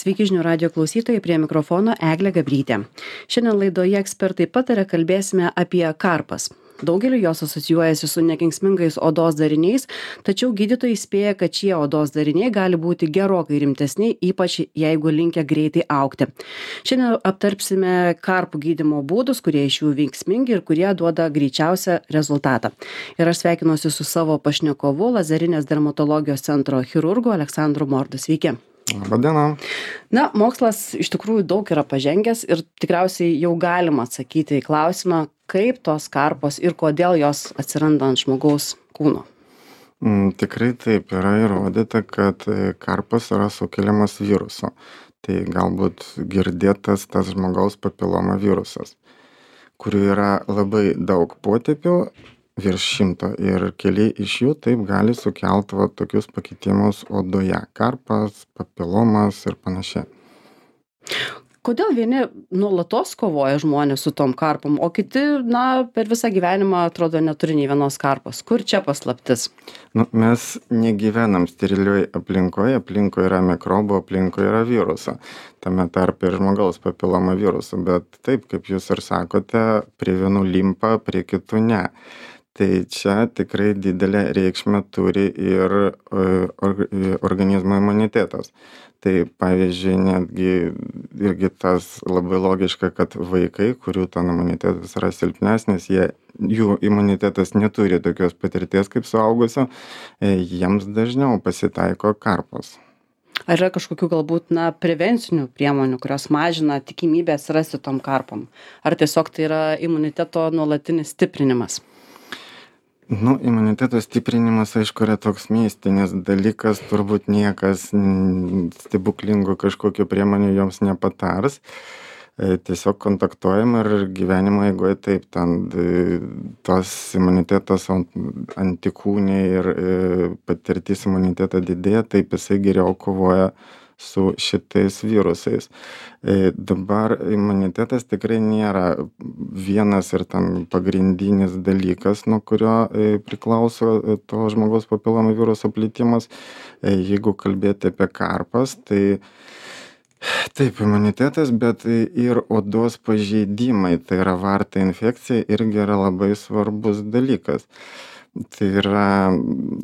Sveiki žinių radio klausytojai, prie mikrofono Eglė Gabrytė. Šiandien laidoje ekspertai pataria, kalbėsime apie karpas. Daugeliu jos asocijuojasi su nekenksmingais odos dariniais, tačiau gydytojai įspėja, kad šie odos dariniai gali būti gerokai rimtesni, ypač jeigu linkę greitai augti. Šiandien aptarpsime karpų gydymo būdus, kurie iš jų veiksmingi ir kurie duoda greičiausią rezultatą. Ir aš sveikinuosi su savo pašnekovu, Lazerinės dermatologijos centro chirurgu Aleksandru Mordu. Sveiki. Labadiena. Na, mokslas iš tikrųjų daug yra pažengęs ir tikriausiai jau galima atsakyti į klausimą, kaip tos karpos ir kodėl jos atsiranda ant žmogaus kūno. Tikrai taip yra įrodyta, kad karpas yra sukeliamas viruso. Tai galbūt girdėtas tas žmogaus papiloma virusas, kurių yra labai daug potipių, virš 100 ir keli iš jų taip gali sukelti tokius pakitimus odoje. Karpas, papilomas ir panašiai. Kodėl vieni nuolatos kovoja žmonės su tom karpom, o kiti, per visą gyvenimą atrodo neturi nei vienos karpos? Kur čia paslaptis? Mes negyvenam sterilioj aplinkoje, aplinkoje yra mikrobų, aplinkoje yra viruso. Tame tarpe ir žmogaus papiloma viruso, bet taip, kaip jūs ir sakote, prie vienų limpa, prie kitų ne. Tai čia tikrai didelę reikšmę turi ir organizmo imunitetas. Tai pavyzdžiui, netgi irgi tas labai logiška, kad vaikai, kurių ten imunitetas yra silpnesnis, jų imunitetas neturi tokios patirties kaip suaugusio, jiems dažniau pasitaiko karpos. Ar yra kažkokių galbūt prevencinių priemonių, kurios mažina tikimybę atsirasti tom karpom? Ar tiesiog tai yra imuniteto nuolatinis stiprinimas? Imuniteto stiprinimas, aišku, yra toks mistinis dalykas, turbūt niekas stebuklingų kažkokių priemonių joms nepatars. Tiesiog kontaktuojam ir gyvenimo eigoje taip, ten tos imunitetas antikūniai ir patirtis imunitetą didėja, taip jisai geriau kovoja su šitais virusais. Dabar imunitetas tikrai nėra vienas ir ten pagrindinis dalykas, nuo kurio priklauso to žmogaus papiloma viruso plitimas. Jeigu kalbėti apie karpas, tai taip, imunitetas, bet ir odos pažeidimai, tai yra varta infekcija, irgi yra labai svarbus dalykas. Tai yra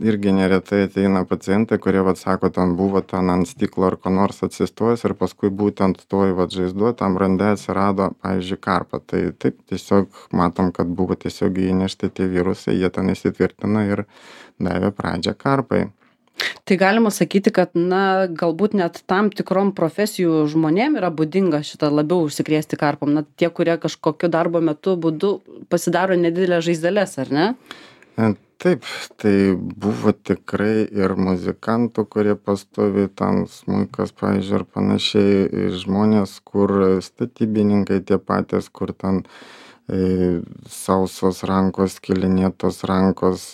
irgi neretai ateina pacientai, kurie sako, ten buvo ten ant stiklo ar ko nors atsistojęs ir paskui būtent toj žaizdoje tam rande atsirado, pavyzdžiui, karpa. Tai taip, tiesiog matom, kad buvo tiesiog įnešti tie virusai, jie ten įsitvirtina ir davė pradžią karpai. Tai galima sakyti, kad galbūt net tam tikrom profesijų žmonėm yra būdinga šitą labiau užsikrėsti karpom. Tie, kurie kažkokiu darbo metu būdu pasidaro nedidelės žaizdeles, ar ne? Taip, tai buvo tikrai ir muzikantų, kurie pastovi ten smuikas, pavyzdžiui, ar panašiai, žmonės, kur statybininkai tie patys, kur ten sausos rankos, skilinėtos rankos,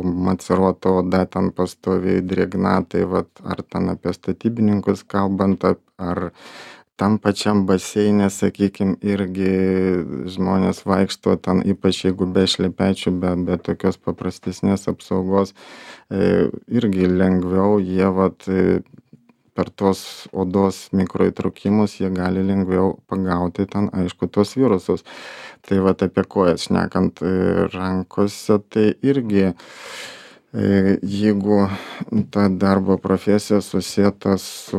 maceruota oda ten pastoviai drėgna, tai ar ten apie statybininkus kalbant, ar tam pačiam baseine, sakykim, irgi žmonės vaikšto ten, ypač jeigu be šlepečių, be tokios paprastesnės apsaugos, irgi lengviau jie per tos odos mikroįtrūkimus jie gali lengviau pagauti ten, aišku, tos virusus. Tai apie kojas šnekant rankose, tai irgi jeigu ta darbo profesija susieta su,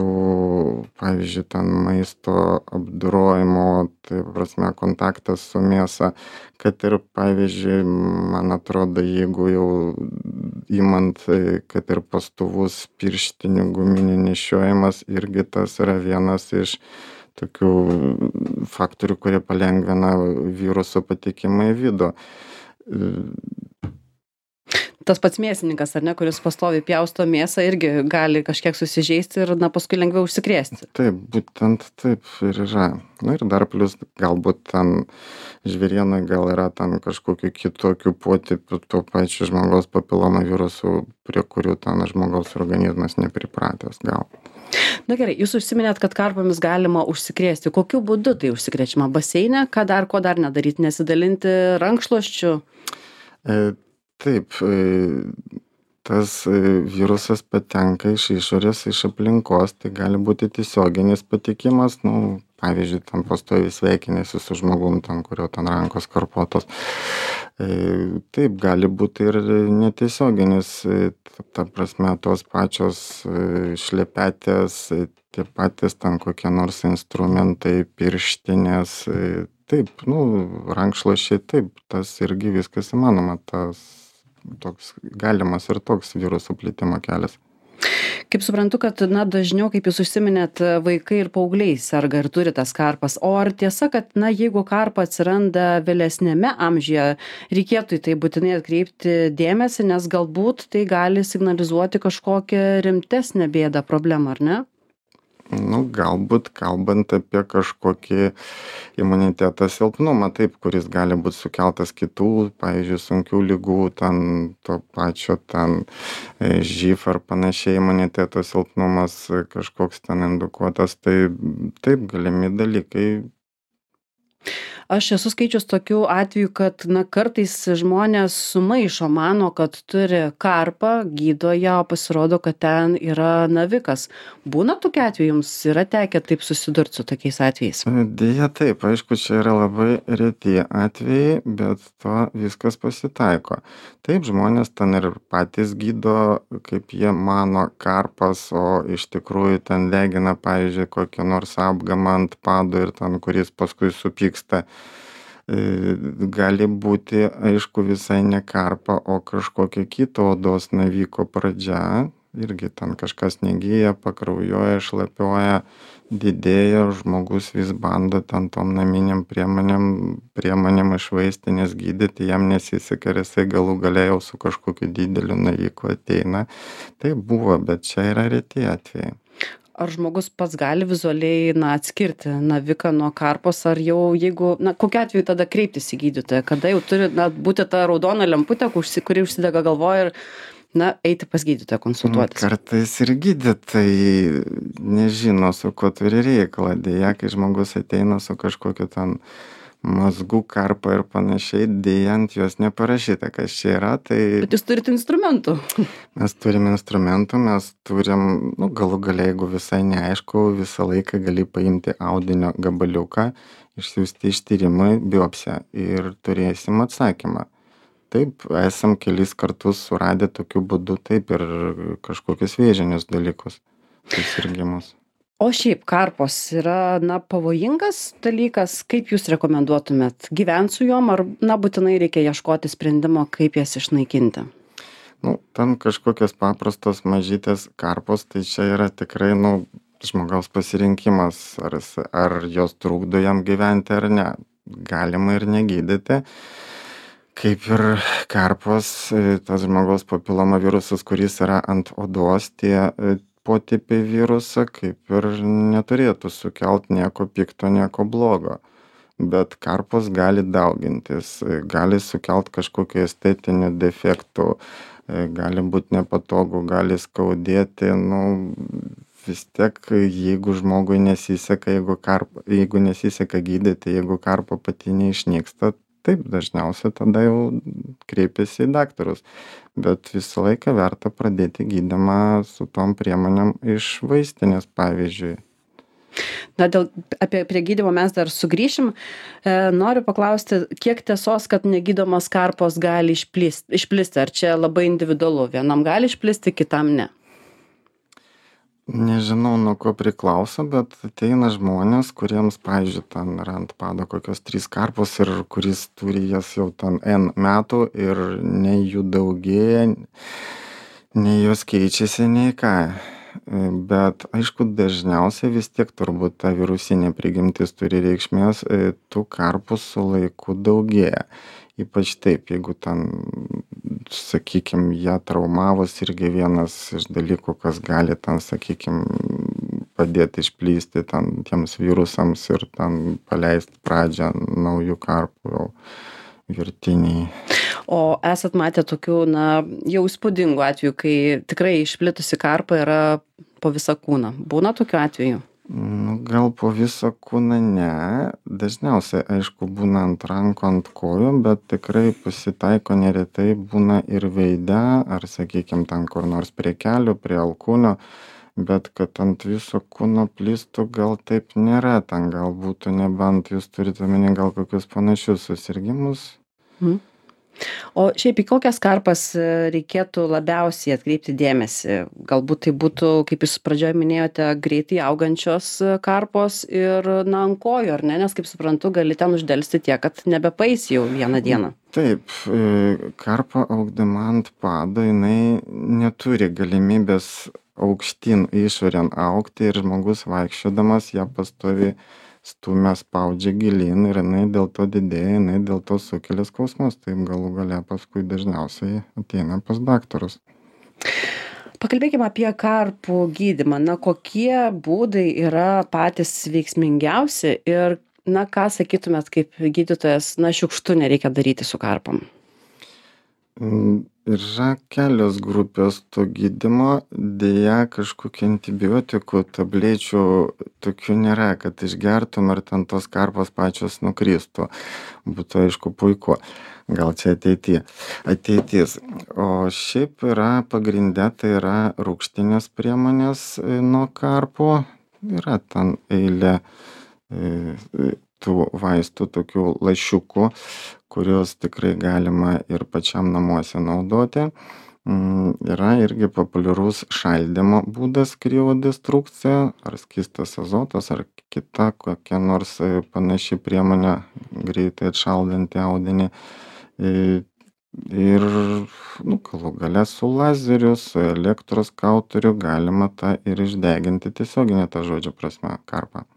pavyzdžiui, ten maisto apdorojimo, tai prasme kontaktas su mėsa, kad ir, pavyzdžiui, man atrodo, jeigu jau imant, kad ir pastovus pirštinių guminių nešiojimas, irgi tas yra vienas iš tokių faktorių, kurie palengvina viruso patekimą į vidų. Tas pats mėsininkas, ar ne, kuris pastoviai pjausto mėsą, irgi gali kažkiek susižeisti ir paskui lengviau užsikrėsti. Taip, būtent taip ir yra. Ir dar plus galbūt ten žvėrienai gal yra ten kažkokių kitokių potipių to pačiu žmogaus papiloma virusų, prie kurių ten žmogaus organizmas nepripratęs gal. Na gerai, jūs užsiminėt, kad karpomis galima užsikrėsti. Kokiu būdu tai užsikrečiama? Baseine? Ko dar nedaryti? Nesidalinti rankšluosčiu? Taip, tas virusas patenka iš išorės, iš aplinkos, tai gali būti tiesioginis patikimas, nu, pavyzdžiui, ten pastoviai sveikinėsi su žmogum, ten, kurio ten rankos karpuotos. Taip, gali būti ir netiesioginis, ta prasme, tos pačios šlepetės, tie patys ten kokie nors instrumentai, pirštinės, taip, nu, rankšluosčiai, taip, tas irgi viskas įmanoma, tas toks galimas ir toks viruso plitimo kelias. Kaip suprantu, kad dažniau, kaip jūs užsiminėt, vaikai ir paaugliai serga ir turi tas karpas. O ar tiesa, kad jeigu karpa atsiranda vėlesnėme amžiuje, reikėtų į tai būtinai atkreipti dėmesį, nes galbūt tai gali signalizuoti kažkokią rimtesnę bėdą, problemą, ar ne? Nu, galbūt kalbant apie kažkokį imuniteto silpnumą, taip, kuris gali būt sukeltas kitų, pavyzdžiui, sunkių ligų, ten to pačio ten živ ar panašiai imuniteto silpnumas kažkoks ten indukuotas, tai taip, galimi dalykai. Aš esu skaičius tokių atvejų, kad kartais žmonės sumaišo, mano, kad turi karpą, gydo ją, o pasirodo, kad ten yra navikas. Būna tokių atvejų, jums yra tekę taip susidurti su tokiais atvejais? Deja taip, aišku, čia yra labai reti atvejai, bet to viskas pasitaiko. Taip, žmonės ten ir patys gydo, kaip jie mano, karpas, o iš tikrųjų ten degina, pavyzdžiui, kokią nors apgamą ant padų ir ten, kuris paskui supyksta. Gali būti, aišku, visai ne karpa, o kažkokia kito odos naviko pradžia. Irgi ten kažkas negyja, pakraujuoja, šlapioja, didėja, žmogus vis bando ten tom naminiam priemonėm iš vaistinės gydyti, jam nesiseka ir jisai galų gale jau su kažkokiu dideliu naviku ateina. Tai buvo, bet čia yra reti atvejai. Ar žmogus pats gali vizualiai atskirti naviką nuo karpos, ar jau jeigu, kokiu atveju tada kreiptis į gydytoją, kada jau turi būti ta raudona lemputė, kuri užsidega galvoje ir eiti pas gydytoją konsultuotis? Kartais ir gydytojai nežino, su kuo turi reikalą. Deja, kai žmogus ateina su kažkokiu ten mazgų karpa ir panašiai, deja ant jos neparašyta, kas čia yra. Bet jūs turite instrumentų. Mes turim instrumentų, mes turim, galų gale, jeigu visai neaišku, visą laiką gali paimti audinio gabaliuką, išsiųsti ištyrimui, biopsiją ir turėsim atsakymą. Taip, esam kelis kartus suradę tokiu būdu, taip, ir kažkokius vėžinius dalykus, susirgimus. O šiaip karpos yra pavojingas dalykas, kaip jūs rekomenduotumėt gyventi su jom, ar būtinai reikia ieškoti sprendimo, kaip jas išnaikinti? Ten kažkokios paprastos mažytės karpos, tai čia yra tikrai, žmogaus pasirinkimas, ar jos trukdo jam gyventi ar ne. Galima ir negydyti. Kaip ir karpos, tas žmogaus papiloma virusas, kuris yra ant odos, tie potipiai viruso, kaip ir neturėtų sukelt nieko pikto, nieko blogo. Bet karpos gali daugintis, gali sukelt kažkokių estetinių defektų, gali būti nepatogu, gali skaudėti, vis tiek, jeigu žmogui nesiseka, jeigu nesiseka gydyti, jeigu karpa pati neišnyksta, taip, dažniausiai tada jau kreipiasi į daktarus. Bet visą laiką verta pradėti gydymą su tom priemonėm iš vaistinės, pavyzdžiui. Prie gydymo mes dar sugrįšim. Noriu paklausti, kiek tiesos, kad negydomos karpos gali išplisti? Ar čia labai individualu? Vienam gali išplisti, kitam ne? Nežinau, nuo ko priklauso, bet ateina žmonės, kuriems, pavyzdžiui, ten yra ant pado kokios 3 karpos ir kuris turi jas jau ten N metų ir nei jų daugėja, nei jos keičiasi, nei ką. Bet, aišku, dažniausiai vis tiek turbūt ta virusinė prigimtis turi reikšmės, tų karpų su laiku daugėja. Ypač taip, jeigu ten, sakykim, ją traumavus irgi vienas iš dalykų, kas gali ten, sakykim, padėti išplysti ten tiems virusams ir ten paleisti pradžią naujų karpų jau virtiniai. O esat matę tokių, jau įspūdingų atvejų, kai tikrai išplitusi karpa yra po visą kūną. Būna tokių atvejų? gal po visą kūną ne. Dažniausiai, aišku, būna ant rankų, ant kojų, bet tikrai pasitaiko neretai būna ir veide, ar sakykim ten kur nors prie kelių, prie alkūnių, bet kad ant viso kūno plistų gal taip nėra. Ten gal būtų, nebent jūs turite omeny gal kokius panašius susirgimus. Mhm. O šiaip į kokias karpas reikėtų labiausiai atkreipti dėmesį? Galbūt tai būtų, kaip jūs pradžioje minėjote, greitai augančios karpos ir na ant kojų, ar ne? Nes kaip suprantu, gali ten uždelsti tiek, kad nebepaeis jau vieną dieną. Taip, karpa augdama ant pado, jinai neturi galimybės aukštyn išorėn augti ir žmogus vaikščiodamas ją pastoviai stumia, spaudžia gilyn ir jinai dėl to didėja, jinai dėl to sukelia skausmus. Taip galų gale paskui dažniausiai ateina pas daktarus. Pakalbėkime apie karpų gydymą. Na, kokie būdai yra patys veiksmingiausi ir, na, ką sakytumėt kaip gydytojas, na, šiukštu nereikia daryti su karpom? Yra kelios grupės to gydymo. Deja, kažkokių antibiotikų, tablečių tokių nėra, kad išgertum ir ten tos karpos pačios nukristų. Būtų aišku puiku. Gal čia ateitis. O šiaip yra pagrinde, tai yra rūgštinės priemonės nuo karpų. Yra ten eilė tų vaistų, tokių lašiukų, kuriuos tikrai galima ir pačiam namuose naudoti. Yra irgi populiarus šaldymo būdas kriodestrukcija, ar skystas azotas, ar kita kokia nors panaši priemonė greitai atšaldanti audinį. Ir galų gale su lazeriu, su elektros kauteriu galima tą ir išdeginti tiesioginė ta žodžio prasme karpą.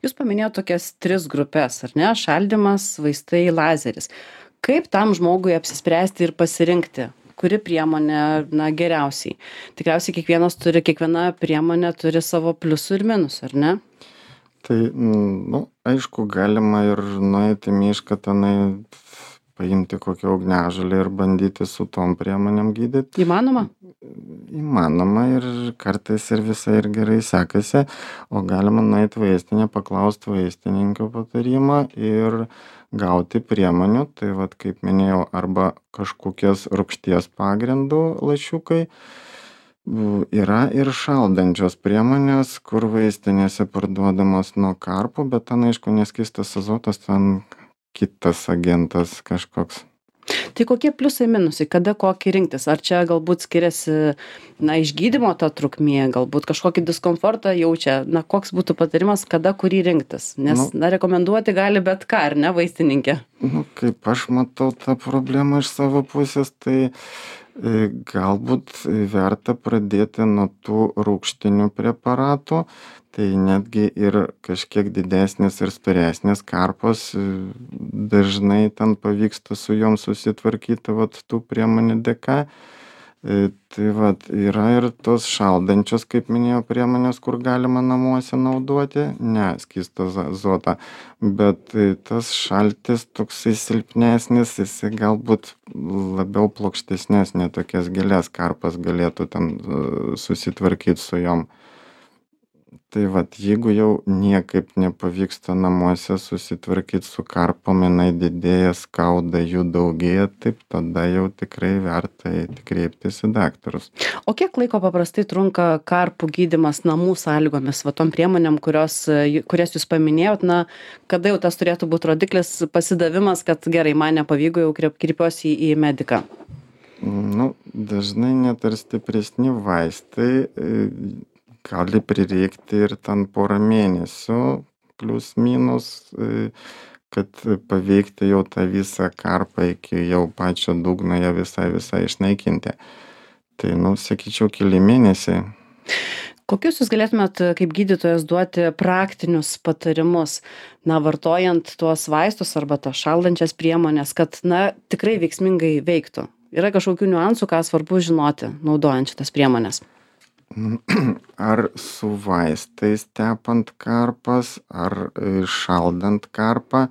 Jūs paminėjot tokias 3 grupes, ar ne? Šaldymas, vaistai, lazeris. Kaip tam žmogui apsispręsti ir pasirinkti, kuri priemonė, na, geriausiai? Tikriausiai kiekviena priemonė turi savo pliusų ir minusų, ar ne? Tai, aišku, galima ir nueiti į mišką, tenai paimti kokią ugniažolę ir bandyti su tom priemonėm gydyti. Įmanoma? Įmanoma ir kartais ir visai ir gerai sekasi, o galima nueiti vaistinę, paklausti vaistininkio patarimo ir gauti priemonių. Tai vat, kaip minėjau, arba kažkokias rūgšties pagrindų lašiukai. Yra ir šaldančios priemonės, kur vaistinėse parduodamos nuo karpų, bet ten, aišku, neskystas azotas, ten kitas agentas kažkoks. Tai kokie pliusai minusai, kada kokį rinktis? Ar čia galbūt skiriasi, na, išgydymo ta trukmė, galbūt kažkokį diskomfortą jaučia? Na, koks būtų patarimas, kada kurį rinktis? Nes, rekomenduoti gali bet ką, ar ne, vaistininkė? Kaip aš matau tą problemą iš savo pusės, tai galbūt verta pradėti nuo tų rūgštinių preparatų. Tai netgi ir kažkiek didesnės ir storesnės karpos dažnai ten pavyksta su jom susitvarkyti vat tų priemonių dėka. Tai vat yra ir tos šaldančios, kaip minėjau, priemonės, kur galima namuose naudoti, ne skystą azotą, bet tas šaltis toksai silpnesnis, jisai galbūt labiau plokštesnės, ne tokias gilias karpas galėtų ten susitvarkyti su jom. Tai vat, jeigu jau niekaip nepavyksta namuose susitvarkyti su karpom, jinai didėja, skauda, jų daugėja, taip tada jau tikrai verta kreiptis į daktarus. O kiek laiko paprastai trunka karpų gydymas namų sąlygomis, va tom priemonėm, kurias jūs paminėjot, na, kada jau tas turėtų būti rodiklis, pasidavimas, kad gerai, man nepavyko, jau kreipiuosi į mediką? Dažnai net ir stipresni vaistai gali prireikti ir ten porą mėnesių, plius minus, kad paveikti jau tą visą karpą iki jau pačio dugno ją visai išnaikinti. Tai, sakyčiau, keli mėnesiai. Kokius jūs galėtumėt kaip gydytojas duoti praktinius patarimus, na, vartojant tuos vaistus arba tas šaldančias priemonės, kad, na, tikrai veiksmingai veiktų? Yra kažkokių niuansų, ką svarbu žinoti, naudojant šitas priemonės? Ar su vaistais tepant karpas, ar šaldant karpą,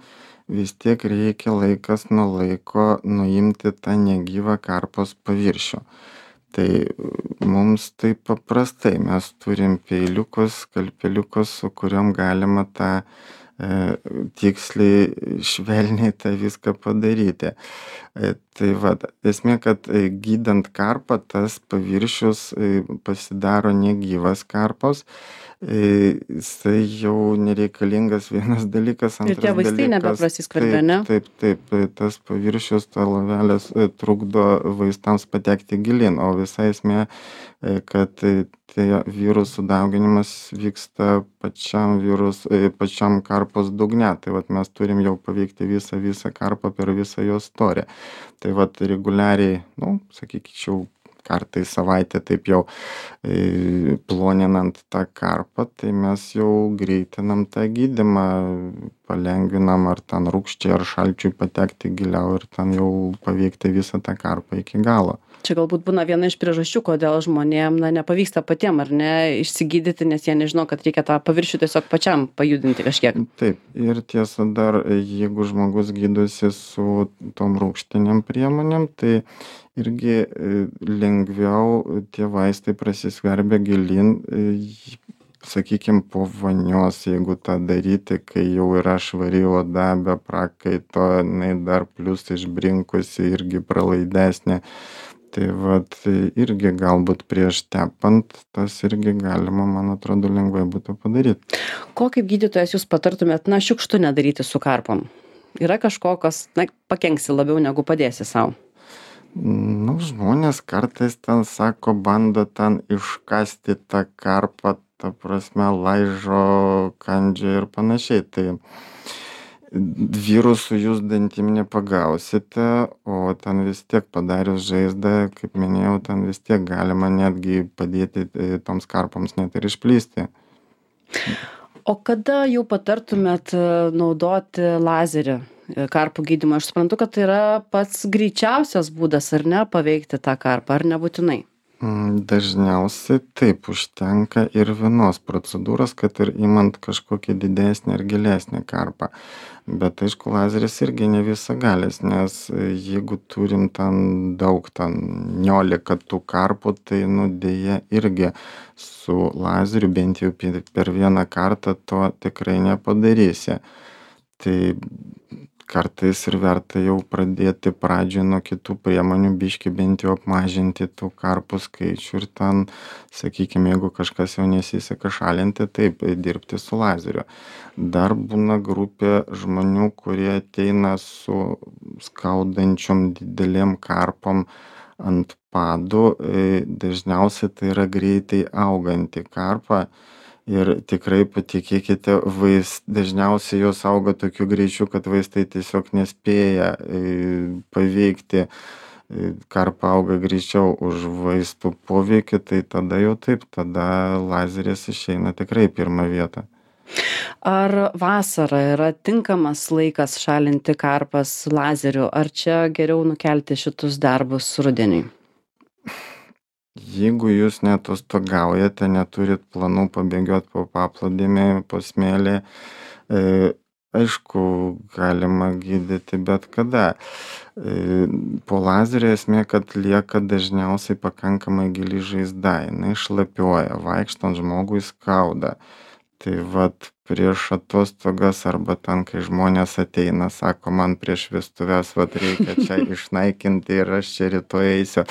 vis tiek reikia laikas nuo laiko nuimti tą negyvą karpos paviršių. Tai mums taip paprastai mes turim peiliukus, skalpeliukus, su kuriuom galima tą tiksliai, švelniai tą viską padaryti. Tai vat, esmė, kad gydant karpą tas paviršius pasidaro negyvas karpos, jisai jau nereikalingas vienas dalykas, Ir tie antras vaistai dalykas. nebeprasiskverbia, ne? Taip, tas paviršius, ta lovelės trukdo vaistams patekti gilin, o visa esmė, kad tie virusų dauginimas vyksta pačiam karpos dugne. Tai vat mes turim jau paveikti visą karpą per visą jos storį. Tai vat reguliariai, nu, sakyčiau, kartą į savaitę taip jau ploninant tą karpą, tai mes jau greitinam tą gydymą, palengvinam ar ten rūgščiai ar šalčiui patekti giliau ir ten jau paveikti visą tą karpą iki galo. Čia galbūt būna viena iš priežasčių, kodėl žmonėm nepavyksta patiem ar ne išsigydyti, nes jie nežino, kad reikia tą paviršių tiesiog pačiam pajudinti kažkiek. Taip, ir tiesa dar, jeigu žmogus gydosi su tom rūgštinėm priemonėm, tai irgi lengviau tie vaistai prasiskverbia gilin, sakykim, po vonios, jeigu tą daryti, kai jau yra švari oda be prakaito, jinai dar plius išbrinkusi, irgi pralaidesnė. Tai vat irgi galbūt prieš tepant tas irgi galima, man atrodo, lengvai būtų padaryti. Ko kaip gydytojas jūs patartumėt, šiukštu nedaryti su karpom? Yra kažko, kas pakenksi labiau negu padėsi sau? Nu, žmonės kartais ten sako, bando ten iškasti tą karpą, ta prasme, laižo, kandžia ir panašiai. Tai virusų jūs dantim nepagausite, o ten vis tiek padarius žaizdą, kaip minėjau, ten vis tiek galima netgi padėti toms karpoms net ir išplisti. O kada jau patartumėt naudoti lazerį karpų gydymą? Aš suprantu, kad tai yra pats greičiausias būdas, ar ne, paveikti tą karpą, ar nebūtinai? Dažniausiai taip užtenka ir vienos procedūros, kad ir imant kažkokį didesnį ar gilesnį karpą. Bet aišku, lazeris irgi ne visagalis, nes jeigu turim ten daug, ten 19 tų karpų, tai deja irgi su lazeriu bent jau per vieną kartą to tikrai nepadarysi. Tai kartais ir verta jau pradėti pradžioj nuo kitų priemonių, biškį bent jau apmažinti tų karpų skaičių ir ten, sakykime, jeigu kažkas jau nesiseka šalinti, taip, dirbti su lazeriu. Dar būna grupė žmonių, kurie ateina su skaudančiom didelėm karpom ant padų. Dažniausiai tai yra greitai auganti karpa. Ir tikrai patikėkite, dažniausiai jos auga tokiu greičiu, kad vaistai tiesiog nespėja paveikti. Karpa auga greičiau už vaistų poveikį, tai tada jau taip, tada lazeris išeina tikrai pirmą vietą. Ar vasara yra tinkamas laikas šalinti karpas lazeriu, ar čia geriau nukelti šitus darbus rudeniui? Jeigu jūs neatostogaujate, neturit planų pabėgiot po paplūdimį, po smėlį, aišku, galima gydyti bet kada. Po lazerio esmė, kad lieka dažniausiai pakankamai gili žaizda, jinai šlapiuoja, vaikštant žmogui skauda. Tai vat prieš atostogas arba ten, kai žmonės ateina, sako, man prieš vestuves vat reikia čia išnaikinti ir aš čia rytoj eisiu.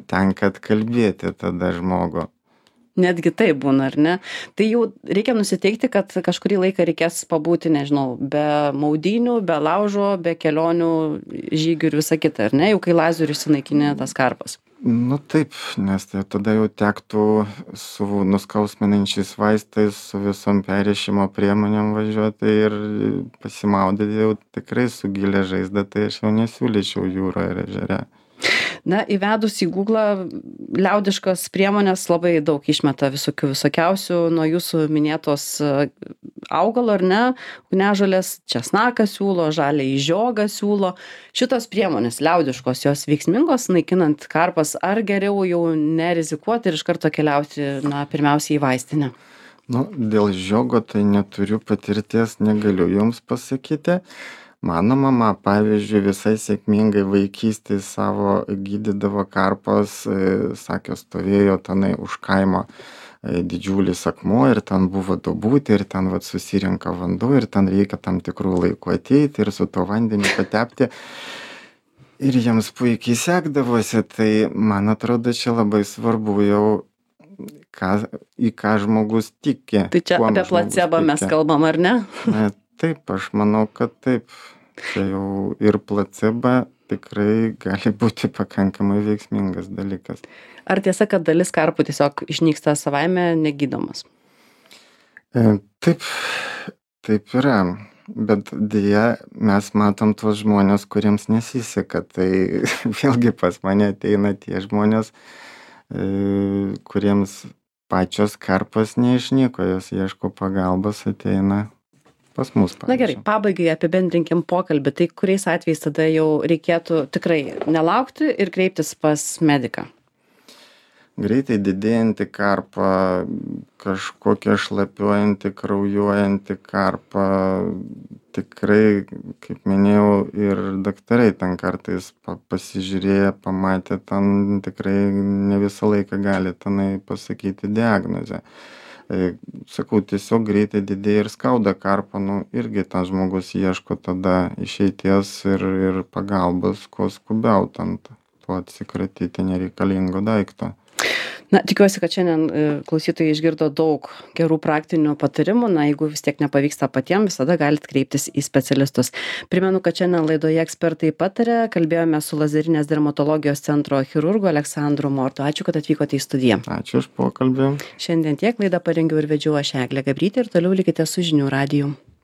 Tenka atkalbėti tada žmogų. Netgi taip būna, ar ne? Tai jau reikia nusiteikti, kad kažkurį laiką reikės pabūti, nežinau, be maudynių, be laužo, be kelionių, žygių ir visa kita, ar ne? Jau kai lazeriu išsinaikinė tas karpas. Taip, nes tada jau tektų su nuskausminančiais vaistais, su visom perrišimo priemonėm važiuoti ir pasimaudyti jau tikrai su gilia žaizda, tai aš jau nesiūlyčiau jūroje ir ežere. Įvedus į Google liaudiškas priemonės labai daug išmeta visokiausių nuo jūsų minėtos augalo, ar ne, ugniažolės, česnaką siūlo, žaliąjį žiogą siūlo. Šitos priemonės liaudiškos, jos veiksmingos naikinant karpas, ar geriau jau nerizikuoti ir iš karto keliauti, pirmiausiai į vaistinę? Dėl žiogo tai neturiu patirties, negaliu jums pasakyti. Mano mama, pavyzdžiui, visai sėkmingai vaikystėj savo gydydavo karpas, sakė, stovėjo tenai už kaimo didžiulis akmuo ir ten buvo duobutė ir ten vat susirenka vanduo ir ten reikia tam tikrų laikų ateiti ir su tuo vandeniu patepti. Ir jiems puikiai sekdavosi, tai man atrodo, čia labai svarbu jau, į ką žmogus tiki. Tai čia apie placebą mes kalbam, ar ne? Taip, aš manau, kad taip. Čia jau ir placebo tikrai gali būti pakankamai veiksmingas dalykas. Ar tiesa, kad dalis karpų tiesiog išnyksta savaime negydomas? Taip yra. Bet deja, mes matom tuos žmonės, kuriems nesiseka. Tai vėlgi pas mane ateina tie žmonės, kuriems pačios karpos neišnyko, jos ieško pagalbos, ateina pas mus. Na gerai, pabaigai apibendrinkim pokalbį. Tai kuriais atvejais tada jau reikėtų tikrai nelaukti ir kreiptis pas mediką? Greitai didėjanti karpa, kažkokia šlapiuojanti, kraujuojanti karpa, tikrai, kaip minėjau, ir daktarai ten kartais pasižiūrėję, pamatę, ten tikrai ne visą laiką gali tenai pasakyti diagnozę. Sakau, tiesiog greitai didėja ir skauda karpa, irgi tas žmogus ieško tada išeities ir pagalbos, kuo skubiau ten tuo atsikratyti nereikalingo daikto. Na, tikiuosi, kad šiandien klausytojai išgirdo daug gerų praktinių patarimų. Na, jeigu vis tiek nepavyksta patiems, visada galite kreiptis į specialistus. Primenu, kad šiandien laidoje Ekspertai pataria. Kalbėjome su Lazerinės dermatologijos centro chirurgu Aleksandru Mortu. Ačiū, kad atvykote į studiją. Ačiū už pokalbį. Šiandien tiek laidą parengiau ir vedžiau aš Eglė Gabrytė ir toliau likite su Žinių radiju.